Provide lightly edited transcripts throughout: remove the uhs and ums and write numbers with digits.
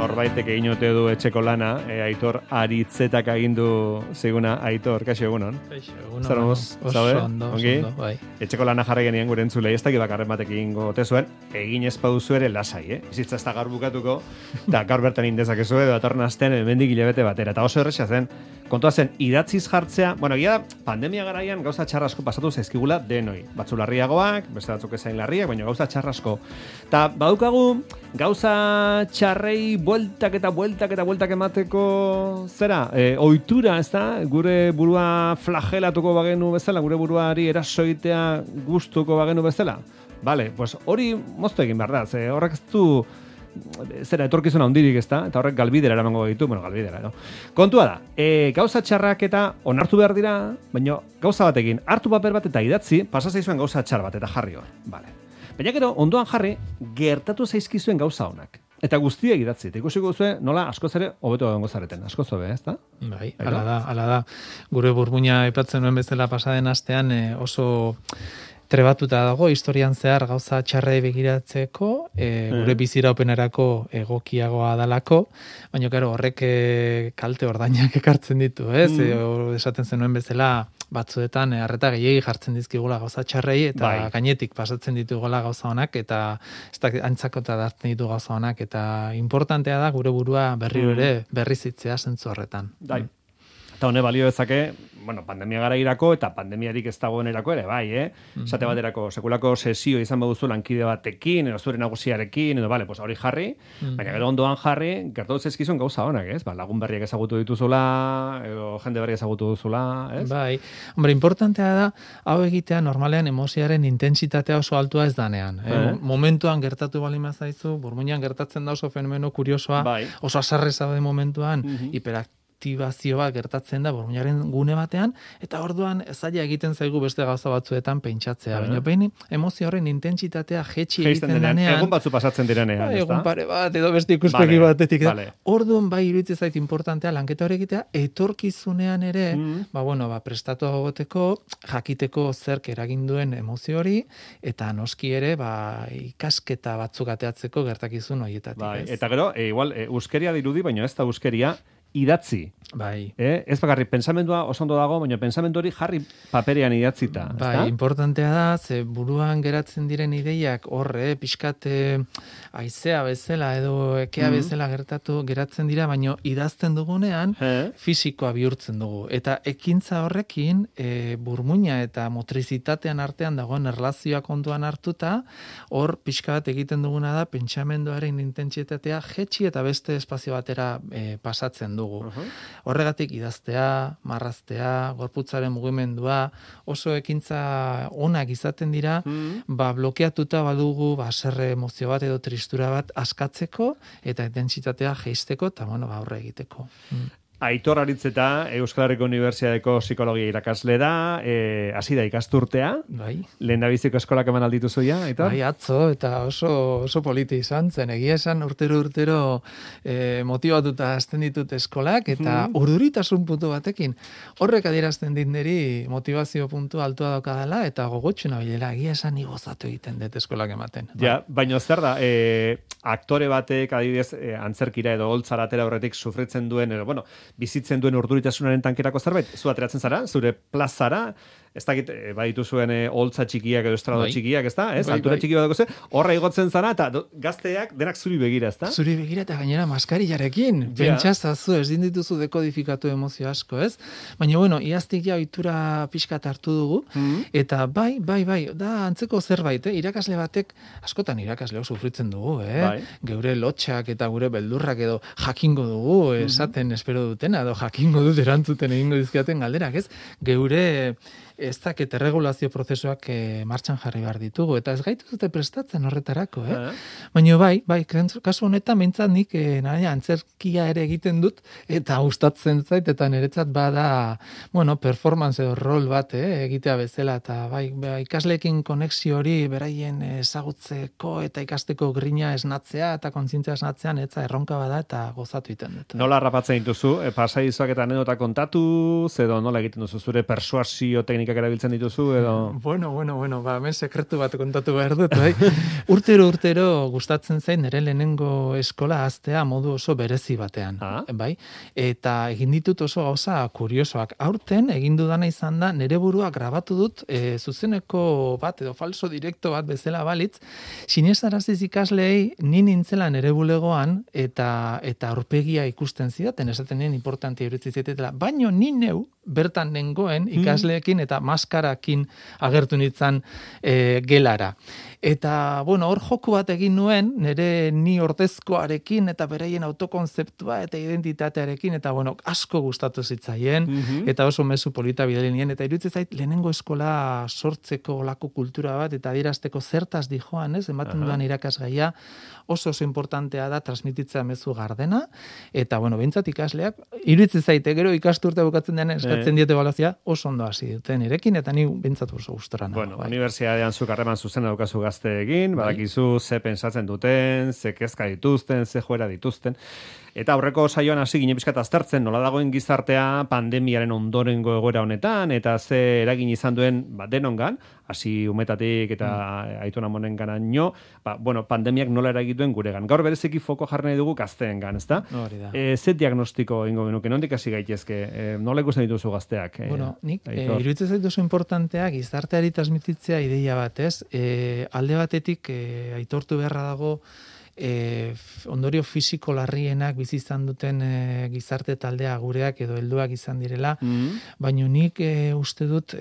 norbaitek egin ote du etxeko lana, Aitor Aritzetak agindu ziguna, Aitor, kaixo egunon. Kaixo egunon. Zaramoz, ondo, bai. Etxeko lana jarri genien gure entzulei, ez dakit bakarren batek egingo ote zuen, egin ez baduzu ere lasai, Bizitza ez da gaur bukatuko, eta gaur bertan indezakezu edo datorren astean hemendik hilabete batera. Eta oso erresa zen, kontua zen, idatziz jartzea, bueno, pandemia garaian gauza txarrasko pasatu zaizkigula denoi. Batzu larriagoak, beste batzuk ezain larriak, baina gauza txarrasko. Eta badukagu, gauza txarrei bueltak emateko zera, ohitura, ez da? Gure burua flagelatuko bagenu bezala, gure buruari erasoitea gustuko bagenu bezala. Vale, pues hori moztu egin behar da, horrek ez du zera etorkizuna handirik, ez da? Eta horrek galbidera eramango ditu, galbidera, no? Kontua da, gauza txarrak eta onartu behar dira, baina gauza batekin, hartu paper bat eta idatzi, pasa zaizuen gauza txar bat eta jarri hor. Vale. Baina gero, ondoan jarri, gertatu zaizkizuen gauza honak. Eta guztiak idatzi. Eta ikusiko duzue, nola askoz ere hobeto egongo zareten. Askoz hobe, ez da? Bai, hala da. Gure burmuina aipatzen nuen bezala pasaden astean oso trebatuta dago, historian zehar gauza txarrei begiratzeko, gure biziraupenerako egokiagoa dalako, baina claro, horrek kalte ordainak ekartzen ditu, ez? Esaten zenuen bezala, batzuetan harreta gehiegi jartzen dizkigula gauza txarrei, eta gainetik pasatzen ditugula gauza honak, eta ez da antzakota dartzen ditu gauza honak, eta importantea da gure burua berriro ere berrizitzea zentzu horretan. Eta hone balio dezake, pandemia garairako eta pandemiarik ez dagoenerako ere, esate baterako sekulako sesio izan baduzu lankide batekin, edo zure nagusiarekin, edo hori jarri, baina gero ondoan jarri, gertatu zaizkizun gauza honak, ez? Lagun berriak ezagutu dituzula, edo jende berriak ezagutu duzula, ez? Bai, hombre, importantea da, hau egitea normalean emozioaren intentsitatea oso altua ez danean. Momentuan gertatu bali mazaizu, burmuinan gertatzen da oso fenomeno kuriosoa, oso azarre zaude momentuan, aktibazio bat gertatzen da burmuinaren gune batean, eta orduan zaila egiten zaigu beste gauza batzuetan pentsatzea. Baina behin emozio horren intentsitatea jetxi egiten denean. Egun batzu pasatzen direnean, ez da? Egun pare bat, edo beste ikuspegi batetik. Orduan iruditzen zait importantea lanketa hori egitea, etorkizunean ere, prestatu agoteko, jakiteko zerk eragin duen emozio hori, eta noski ere, ikasketa batzuk ateatzeko gertakizun horietatik. Eta gero, igual, euskeria dirudi, baina ez da euskeria, idatzi. Bai. Ez bakarrik pensamendua oso ondo dago, baina pensamendu hori jarri paperean idatzita. Bai, importantea da, ze buruan geratzen diren ideiak horre, pixkat haizea bezala edo ekea bezala geratzen dira, baina idazten dugunean fisikoa bihurtzen dugu. Eta ekintza horrekin burmuina eta motrizitatean artean dagoen erlazioa kontuan hartuta, hor pixka bat egiten duguna da pentsamenduaren intentsitatea jetxi eta beste espazio batera pasatzen dugu. Horregatik idaztea, marraztea, gorputzaren mugimendua, oso ekintza onak izaten dira, blokeatuta badugu haserre emozio bat edo tristura bat askatzeko eta intentsitatea jeisteko eta aurre egiteko. Aitor Aritzeta, Euskal Herriko Unibertsitateko psikologia irakasle da, hasi da ikasturtea. Bai. Lehendabiziko eskolak eman alditu zuia, Aitor? Bai, atzo, eta oso politi izan zen. Egia esan urtero motibatuta hasten ditut eskolak, eta urduritasun puntu batekin. Horrek adierazten dit niri motivazio puntu altua daukadala, eta gogotxuna bilela, egia esan igozatu egiten dut eskolak ematen. Ja, baina zer da, aktore batek adibidez antzerkira edo holtzara atera horretik sufritzen duen, bizitzen duen urduritasunaren tankerako zerbait, zu ateratzen zara, zure plazara, ez dakit, baditu zuen holtza txikiak edo estrado txikiak, ez da? Altura txiki bat dago horra igotzen zara, eta gazteak denak zuri begira, ez da? Zuri begira eta gainera maskarillarekin. Pentsazazu, ez dituzu dekodifikatu emozio asko, ez? Baina, iaztik ja ohitura pixkat hartu dugu, eta bai, da antzeko zerbait, irakasle batek, askotan irakasleok sufritzen dugu, geure lotxak eta gure beldurrak edo jakingo dugu, esaten espero dutena, edo jakingo dut erantzuten egingo dizkiaten galderak, ez? Geure ez dakit erregulazio prozesuak martxan jarri behar ditugu, eta ez gaitu dute prestatzen horretarako, Baina bai, kasu honetan mintzat nik antzerkia ere egiten dut, eta gustatzen zait, eta niretzat bada, performance edo rol bat, egitea bezala, eta bai, ikasleekin konexio hori beraien ezagutzeko eta ikasteko grina esnatzea, eta kontzientzia esnatzean, etza erronka bada, eta gozatu egiten dut. Nola harrapatzen dituzu, pasaizuak eta anedota kontatu, edo nola egiten duzu zure persuasio teknika teknikak erabiltzen dituzu, edo... Bueno, ba, hemen sekretu bat kontatu behar dut, bai. Urtero gustatzen zain nire lehenengo eskola hastea modu oso berezi batean, bai? Eta egin ditut oso gauza kuriosoak. Aurten egin dudana izan da, nire burua grabatu dut, zuzeneko bat edo falso direkto bat bezala balitz, sinestaraziz ikasleei ni nintzela nire bulegoan eta aurpegia ikusten zidaten, esaten nien importantia iruditzen zitetela, baino ni neu bertan nengoen ikasleekin eta maskarakin agertu nintzen gelara. Eta, bueno, hor joku bat egin nuen, nire ni ordezkoarekin eta beraien autokonzeptua eta identitatearekin, eta, bueno, asko gustatu zitzaien, eta oso mezu polita bideli nien, eta iruditzen zait, lehenengo eskola sortzeko olako kultura bat, eta adierazteko zertaz dijoan, ez, ematen dudan irakasgaia, oso importantea da transmititzea mezu gardena, eta, bueno, behintzat ikasleak, iruditzen zaite, gero ikasturte bukatzen denean eskatzen diete ebaluazioa, oso ondo hasi duten irekin, eta ni behintzat oso gustora nago. Bueno, unibertsitatean zuk harreman zuzen daukazu gazteekin, badakizu ze pentsatzen duten, ze kezka dituzten, ze joera dituzten. Eta aurreko saioan hasi ginen pixkat aztertzen nola dagoen gizartea pandemiaren ondorengo egoera honetan, eta ze eragin izan duen denongan, hasi umetatik eta Aiton Amonen ganaino, bueno, pandemiak nola eragituen guregan. Gaur bereziki foko jarri nahi dugu gazteengan, ezta? Ze diagnostiko ingo genuke, nondik hasi gaitezke? Nola ikusten dituzu gazteak? Bueno, nik iruditzen zait oso importantea gizarteari transmititzea ideia bat, ez? Alde batetik aitortu beharra dago ondorio fisiko larrienak bizi izan duten gizarte taldea gureak edo helduak izan direla, baina nik uste dut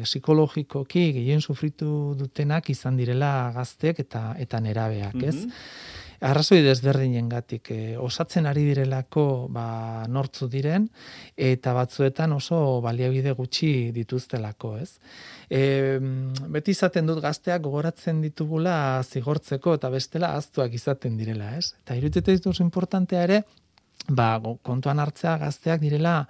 psikologikoki gehien sufritu dutenak izan direla gazteek eta nerabeak, ez? Arrazoi desberdinengatik osatzen ari direlako nortzu diren eta batzuetan oso baliabide gutxi dituztelako, ez? Beti izaten dut gazteak gogoratzen ditugula zigortzeko eta bestela ahaztuak izaten direla, ez? Eta iruditzen dut oso importantea ere kontuan hartzea gazteak direla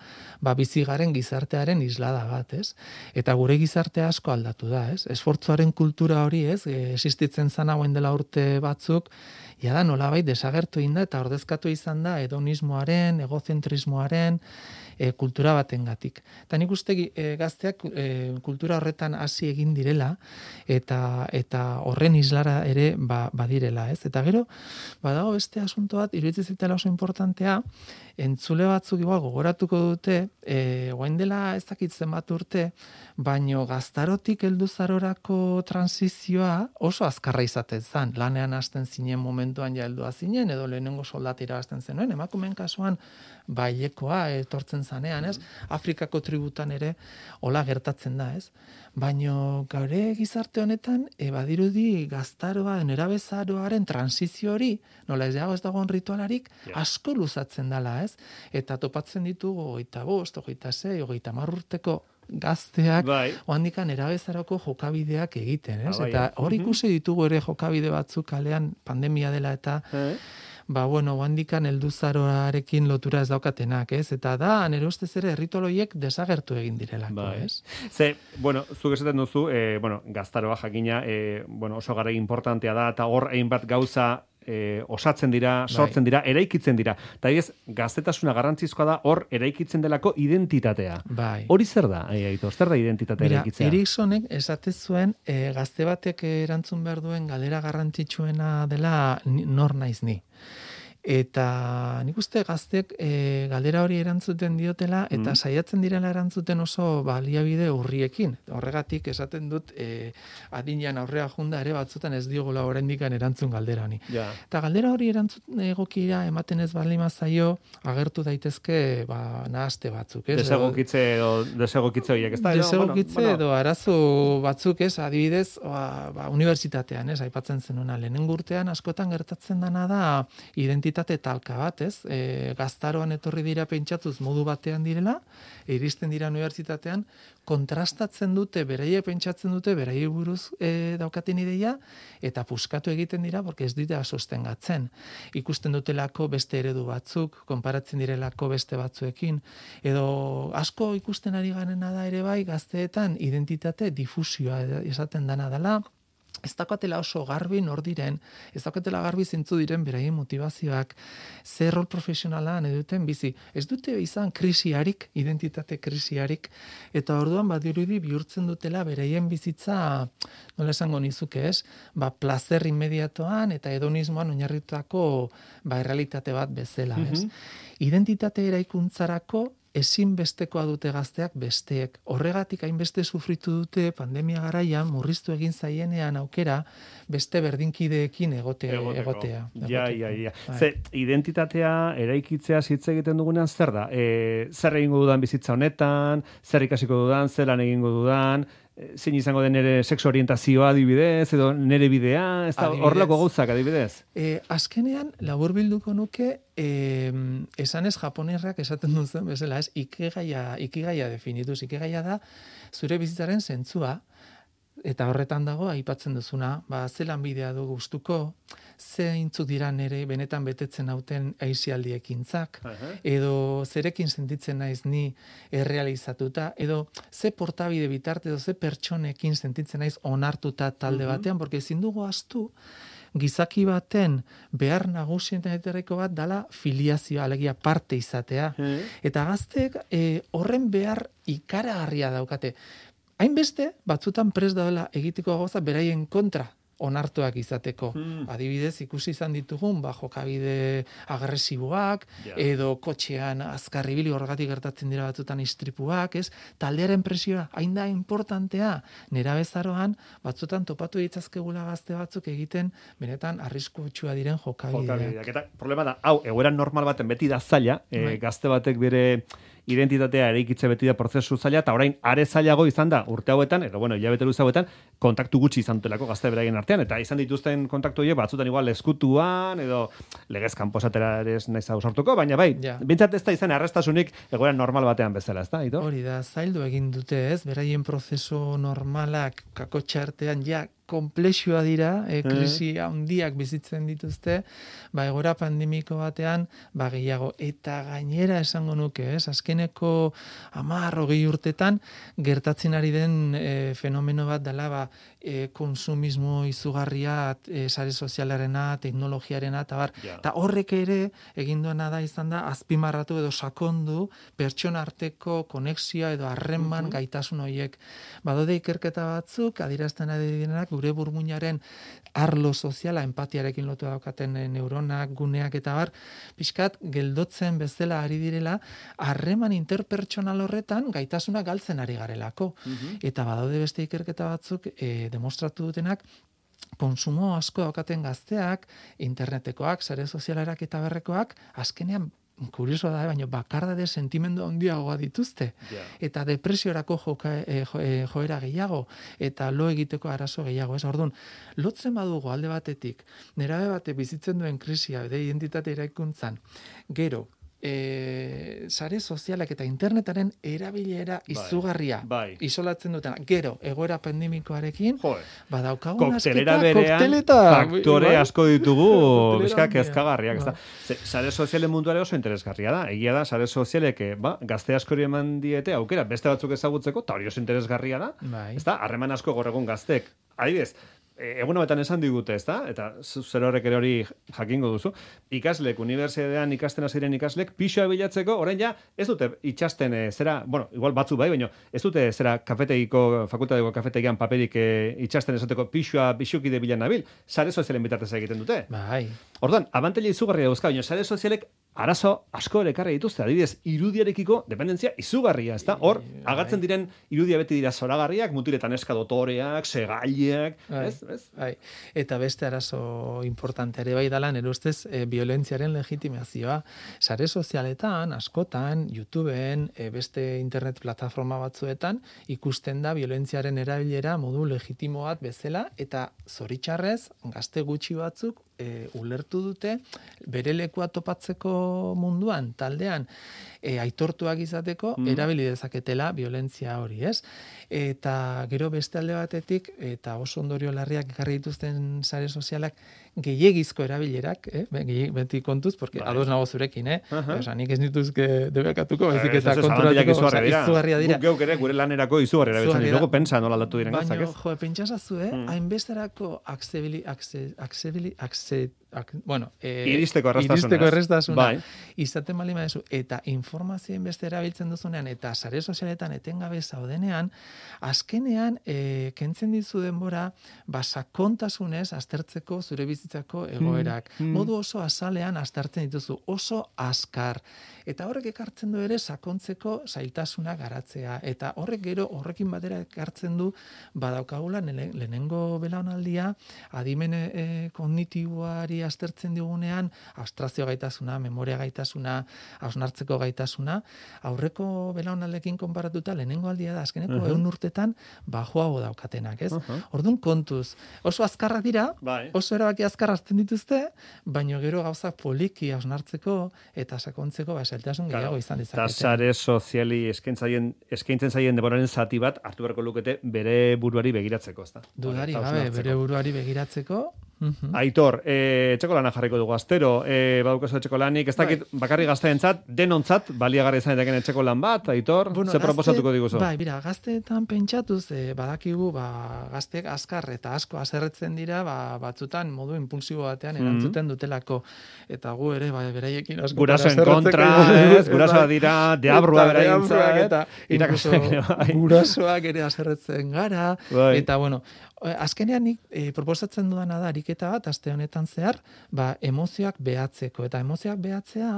bizigaren gizartearen islada bat, ez? Eta gure gizartea asko aldatu da, ez? Esfortzuaren kultura hori, ez? Existitzen zan hauen dela urte batzuk, da nolabait desagertu egin da eta ordezkatu izan da hedonismoaren, egozentrismoaren kultura batengatik. Eta nik uste gazteak kultura horretan hasi egin direla eta horren islara ere badirela, ez? Eta gero, badago beste asunto bat, iruditzen zitela oso importantea, entzule batzuk igual gogoratuko dute, orain dela ez dakit zenbat urte, baino gaztarotik helduzarorako transizioa oso azkarra izaten zen. Lanean hasten zinen momentuan ja heldua zinen, edo lehenengo soldata irabazten zenuen, emakumeen kasuan bailekoa etortzen zanean, ez? Afrikako tributan ere hola gertatzen da, ez? Baino gaure gizarte honetan badirudi gaztaroa, nerabezaroaren transizio hori, nola ez dagoen ritualarik, asko luzatzen dela, ez? Eta topatzen ditugu 25, 26, 30 urteko gazteak oandikan erabezarako jokabideak egiten, ez? Eta hor ikusi ditugu ere jokabide batzuk kalean pandemia dela eta oandikan helduzaroarekin lotura ez daukatenak, ez? Eta da, nire ustez ere erritoloiek desagertu egin direlako, ez? Zuk esaten duzu, gaztaroa jakina, oso gara importantea da, eta hor hainbat gauza osatzen dira, sortzen dira, eraikitzen dira. Eta gaztetasuna garrantzizkoa da hor eraikitzen delako identitatea. Hori zer da, Aitor? Zer da identitatea eraikitzea? Eriksonek esate zuen gazte batek erantzun behar duen galera garrantzitsuena dela nor naiz ni. Eta nik uste gazteek galdera hori erantzuten diotela eta saiatzen direla erantzuten oso baliabide urriekin. Horregatik esaten dut adinean aurrea junda ere batzutan ez diogula oraindikan erantzun galdera honi. Eta galdera hori erantzun egokira ematen ez balima zaio agertu daitezke nahaste batzuk. Desegokitze horiek, ez da? Desegokitze edo arazo batzuk, ez? Adibidez, unibertsitatean, ez? Aipatzen zenuna lehenengo urtean askotan gertatzen dana da identitate talka bat, ez? Gaztaroan etorri dira pentsatuz modu batean direla, iristen dira unibertsitatean, kontrastatzen dute, beraiek pentsatzen dute, beraiek buruz daukaten ideia, eta puskatu egiten dira, porque ez dira sostengatzen. Ikusten dutelako beste eredu batzuk, konparatzen direlako beste batzuekin, edo asko ikusten ari garena da ere bai, gazteetan identitate difusioa esaten dana dela, ez daukatela oso garbi nor diren, ez daukatela garbi zintzu diren beraien motivazioak, zer rol profesionala nahi duten bizi. Ez dute izan krisiarik, identitate krisiarik, eta orduan badirudi bihurtzen dutela beraien bizitza, nola esango nizuke ez, plazer inmediatoan eta hedonismoan oinarritutako errealitate bat bezala, ez. Identitate eraikuntzarako ezinbestekoa dute gazteak besteek. Horregatik hainbeste sufritu dute pandemia garaian murriztu egin zaienean aukera beste berdinkideekin egotea. Ja. Ze, identitatea eraikitzea hitz egiten dugunean zer da? Zer egingo dudan bizitza honetan, zer ikasiko dudan, zer lan egingo dudan, zein izango den nire sexu orientazioa adibidez, edo nire bidea, ez da horrelako gauzak adibidez? Azkenean, laburbilduko nuke, esanez japonerrak esaten duzen bezala, ez, ikigaia definituz, ikigaia da, zure bizitzaren zentzua, eta horretan dago, aipatzen duzuna, ze lanbidea du gustuko, zeintzuk dira nere benetan betetzen hauten aisialdiekintzak, edo zerekin sentitzen naiz ni errealizatuta, edo ze portabide bitarte, edo ze pertsonekin sentitzen naiz onartuta talde batean, porque ezin dugu ahaztu, gizaki baten behar nagusienetariko bat dala filiazioa, alegia parte izatea. Eta gazteek horren behar ikaragarria daukate. Hainbeste, batzutan prest daudela egiteko gauza beraien kontra onartuak izateko. Adibidez, ikusi izan ditugun, jokabide agresiboak, edo kotxean azkarribili horregatik gertatzen dira batzutan istripuak, ez? Taldearen presioa, hain da importantea, nerabezaroan, batzutan topatu ditzazkegula gazte batzuk egiten, benetan arriskutsua diren jokabideak. Eta problema da, hau, egoera normal baten beti da zaila, gazte batek bere identitatea eraikitze beti da prozesu zaila, eta orain are zailago izan da urte hauetan, edo hilabete luze hauetan, kontaktu gutxi izan dutelako gazte beraien artean, eta izan dituzten kontaktu horiek batzutan igual eskutuan, edo legez kanposatera ere ez naiz ausartuko, baina bintzat ez da izan arrestasunik egoera normal batean bezala, ez da, Ito? Hori da, zaildu egin dute ez, beraien prozesu normalak kakotxa artean komplexua dira, krisi handiak bizitzen dituzte, egoera pandemiko batean, gehiago. Eta gainera esango nuke, azkeneko 10-20 urtetan, gertatzen ari den fenomeno bat dela, konsumismo izugarria, sare sozialarena, teknologiarena, eta horrek ere, egin duena da izan da, azpimarratu edo sakondu, pertsona arteko konexioa edo harreman gaitasun horiek. Badaude ikerketa batzuk, adierazten ari direnak, gure burmuinaren arlo soziala, empatiarekin lotu daukaten neuronak, guneak eta pixkat geldotzen bezala ari direla, harreman interpertsonal horretan gaitasuna galtzen ari garelako. Eta badaude beste ikerketa batzuk demostratu dutenak, konsumo asko daukaten gazteak, internetekoak, sare sozialerak eta berrekoak, azkenean kuriosoa da, baina bakardade sentimendu handiagoa dituzte. Eta depresiorako joera gehiago, eta lo egiteko arazo gehiago. Orduan, lotzen badugu alde batetik, nerabe bate bizitzen duen krisia, edo identitate eraikuntzan, gero, sare sozialak eta internetaren erabilera izugarria isolatzen dutena. Gero, egoera pandemikoarekin, badaukagun koktelera berean faktore asko ditugu bizkak ezkagarriak. Sare sozialen munduare oso interesgarria da. Egia da, sare sozialek gazte askori eman diete aukera, beste batzuk ezagutzeko, eta hori oso interesgarria da. Harreman asko gorregun gaztek. Adibidez, egun honetan esan digute, ezta? Eta zer horrek ere hori jakingo duzu. Ikaslek, unibertsitatean ikasten ziren ikaslek, pixoa bilatzeko, orain ja, ez dute itxasten igual batzu baina ez dute fakultateko kafetegian paperik itxasten esateko pixoa bixukide bilan nabil, sare sozialen bitartez egiten dute. Orduan, abantaila izugarria dauzka, baina sare sozialek arazo asko ere ekarri dituzte, adibidez, irudiarekiko dependentzia izugarria, ezta? Hor, agertzen diren irudia beti dira zoragarriak, mutiletan eska dotoreak, segaileak, ez? Eta beste arazo importante ere bai dala, nire ustez, violentziaren legitimazioa. Sare sozialetan, askotan, YouTubeen, beste internet plataforma batzuetan, ikusten da violentziaren erabilera modu legitimo bat bezala, eta zoritxarrez, gazte gutxi batzuk, ulertu dute, bere lekua topatzeko munduan, taldean, aitortuak izateko, erabili dezaketela violentzia hori, ez? Eta gero beste alde batetik, eta oso ondorio larriak ekarri dituzten sare sozialak, gehiegizko erabilerak, beti kontuz, porque ados nago zurekin, Osa, nik ez dituzke debekatuko, baizik eta konturatuko, izugarria dira. Guk geuk ere gure lanerako izugarri erabiltzen ditugu, pentsa nola aldatu diren gauzak, ez? Baina, pentsasazu, hainbesterako iristeko erraztasuna izaten bali madezu, eta informazioen beste erabiltzen duzunean, eta sare sozialetan etengabe zaudenean, azkenean, kentzen dizu denbora, sakontasunez aztertzeko zure bizitzako egoerak. Modu oso azalean aztertzen dituzu, oso azkar. Eta horrek ekartzen du ere sakontzeko zailtasuna garatzea. Eta horrekin batera ekartzen du, badaukagula lehenengo belaunaldia, adimen kognitiboari aztertzen digunean, abstrazio gaitasuna, memoria gaitasuna, hausnartzeko gaitasuna, aurreko belaunaldekin konparatuta lehenengo aldia da, azkeneko 100 urtetan bajoago daukatenak, ez? Orduan kontuz, oso azkarrak dira, oso erabaki azkar hartzen dituzte, baino gero gauzak poliki hausnartzeko eta sakontzeko zailtasun gehiago izan dezakete. Eta sare soziali eskaintzen zaien denboraren zati bat hartu beharko lukete bere buruari begiratzeko, ezta? Dudari gabe, bere buruari begiratzeko. Aitor, etxeko lana jarriko dugu astero, badukazu etxeko lanik, ez dakit bakarri gazteentzat, denontzat baliagarri izan daiteken etxeko lan bat, Aitor, ze proposatuko diguzu? Bai, mira, gazteetan pentsatuz, badakigu, gazteek azkar eta asko haserretzen dira, batzutan modu impulsibo batean erantzuten dutelako, eta gu ere, beraiekin asko gurasoen kontra, gurasoa dira, deabrua beraintza, gurasoak ere haserretzen gara, eta bueno, azkenean nik proposatzen dudana da ariketa bat aste honetan zehar, emozioak behatzeko, eta emozioak behatzea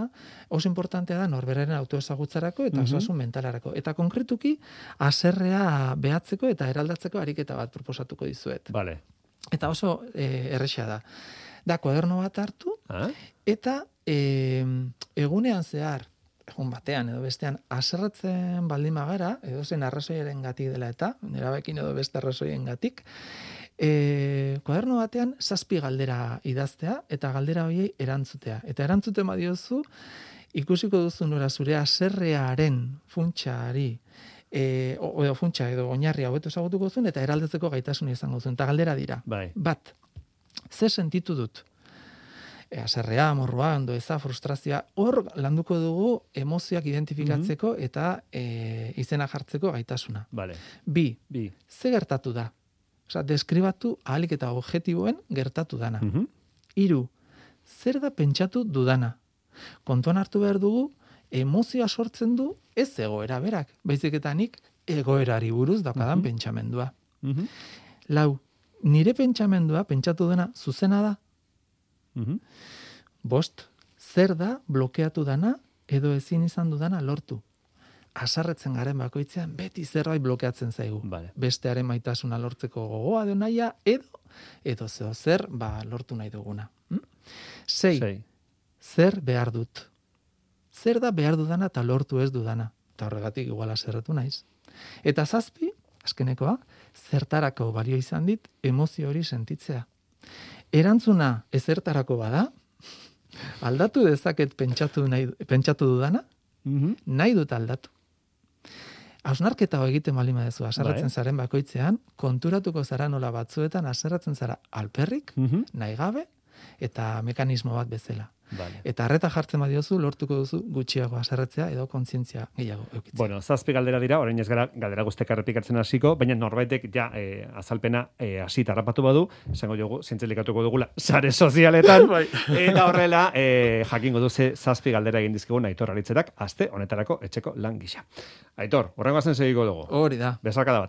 oso importantea da norberaren autoezagutzarako eta osasun mentalarako, eta konkretuki haserrea behatzeko eta eraldatzeko ariketa bat proposatuko dizuet. Vale. Eta oso erresa da. Da kuaderno bat hartu eta egunean zehar egun batean edo bestean haserretzen baldin bagara, edo zen arrazoiarengatik dela eta, erabekin edo beste arrazoiengatik, kuaderno batean 7 galdera idaztea eta galdera horiei erantzutea. Eta erantzuten badiozu, ikusiko duzu nora zure haserrearen funtsari, edo funtsa edo oinarria hobeto ezagutuko zuen eta eraldatzeko gaitasuna izango zuen. Eta galdera dira. Bat, ze sentitu dut? Haserrea, amorrua, ondoeza, frustrazioa, hor landuko dugu emozioak identifikatzeko eta izena jartzeko gaitasuna. Bi, ze gertatu da? Osa, deskribatu ahalik eta objektiboen gertatu dana. 3, zer da pentsatu dudana? Kontuan hartu behar dugu, emozioa sortzen du ez egoera berak, baizik eta nik egoerari buruz daukadan pentsamendua. 4, nire pentsamendua, pentsatu dena, zuzena da? 5, zer da blokeatu dana edo ezin izan dudana lortu? Haserretzen garen bakoitzean beti zerbait blokeatzen zaigu. Bestearen maitasuna lortzeko gogoa edo nahia edo zer lortu nahi duguna. 6, zer behar dut? Zer da behar dudana eta lortu ez dudana? Eta horregatik igual haserretu naiz. Eta 7, azkenekoa, zertarako balio izan dit emozio hori sentitzea. Erantzuna ezertarako bada, aldatu dezaket pentsatu dudana, nahi dut aldatu. Hausnarketa egiten baldin baduzu haserretzen zaren bakoitzean, konturatuko zara nola batzuetan haserretzen zara alperrik, nahi gabe, eta mekanismo bat bezala. Eta arreta jartzen badiozu, lortuko duzu gutxiago haserretzea edo kontzientzia gehiago eukitzea. Bueno, 7 galdera dira, orain ez gara galdera guztiak errepikatzen hasiko, baina norbaitek azalpena hasi tarrapatu badu, esango dugu, zientzilikatuko dugula sare sozialetan, eta horrela jakingo duze 7 galdera egin dizkigun Aitor Aritzerak, aste honetarako etxeko lan gisa. Aitor, horrengo azen segiko dugu. Hori da. Besarkada bat.